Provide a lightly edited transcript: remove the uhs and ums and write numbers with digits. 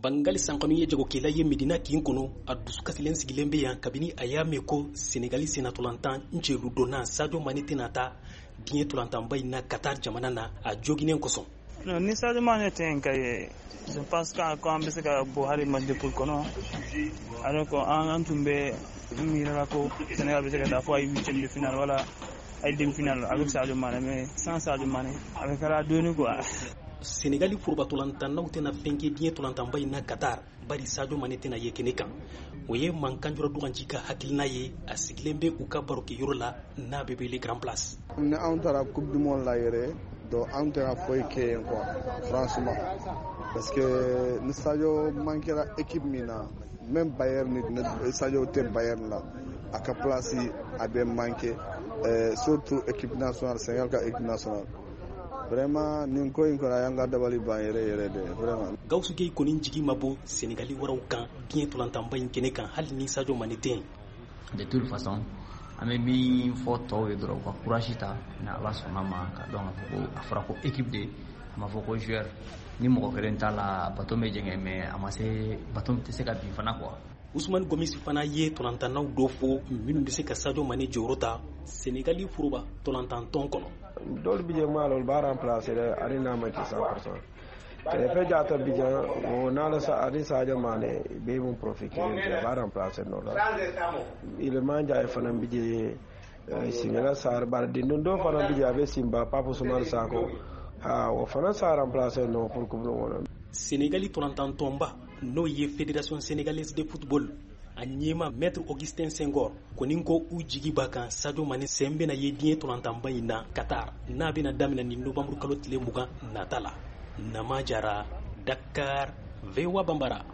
Bangali Sankanu ye jagokɛla ye Medina kin kɔnɔ. A dusukasilen sigilen bɛ yan kabini a y'a mɛn ko Senegali sennatolantan celu donna Sadio Mane tɛna taa diɲɛ tolantanba in na Qatar jamana na, a joginen kosɔn. Non, ni Sadio Mane tɛ yen ka ye, je pense que an bɛ se ka bɔ hali match de poule kɔnɔ, alors que an tun bɛ miirila ko Sénégal bɛ se ka taa fo ay huitième de finale wala ay demi finale avec Sadio Mane, mais sans Sadio Mane, a bɛ kɛra dɔɔni quoi. Senegali foroba tolantannaw tɛna fɛn kɛ diɲɛ tolantanba in na Qatar, bari Sadio Mane tɛna ye kɛnɛ kan. O ye Mankanjura Duganci ka hakilina ye. A sigilen bɛ u ka barokɛyɔrɔ la n'a bɛ wele Grand Place. Ni anw taara Coupe du monde la yɛrɛ, donc anw tɛna foyi kɛ yen quoi, franchement, parce que ni Sadio manquera équipe min na, même Bayern, ni Sadio tɛ Bayern la, a ka place a bɛ manquer, surtout équipe nationale, Sénégal ka équipe nationale. Vraiment, nin ko in kɔni, a y'an ka dabali ban yɛrɛ yɛrɛ de, vraiment. Gawusu Gueye kɔni jigi ma bɔ Senegali waraw kan diɲɛ tolantanba in kɛnɛ kan, hali ni Sadio Mane tɛ yen. De toute façon, an bɛ min fɔ tɔw ye dɔrɔn, u ka courage ta. Ni Ala sɔnna ma, ka dɔn k'a fɔ ko a fɔra ko équipe de, a ma fɔ ko joueur. Ni mɔgɔ kelen t'a la, bateau bɛ jɛngɛ, mais a ma se bateau tɛ se ka bin fana quoi. Usumani Gomis fana ye tolantannaw dɔ fɔ minnu bɛ se ka Sadio Mane jɔyɔrɔ ta Senegali foroba tolantantɔn kɔnɔ. Dɔw bi je maa olu b'a remplacer dɛ, ani n'a ma ci 100%. Krépin Diatta bi jan o n'ala sa ani Sadio Mané bɛ mun profil kelen tɛ, b'a remplacer nɔ la. Iliman Ndiaye fana bi je, Ismaïla Sarr, bari dindon dɔ fana bi je, a bɛ Simba, Pape Ousmane Sakho, ha, o fana sa remplacer nɔ pour coupe du monde. Senegali tolantantɔnba, n'o ye Fédération sénégalaise de football, a ɲɛma Maître Augustin Senghor kɔni ko u jigi b'a kan Sadio Mane sen bɛna ye diɲɛ tolantanba in na Qatar, n'a bɛna daminɛ ni novembre kalo tile 20 nata la. Nama Jara, Dakar, VOA Bambara.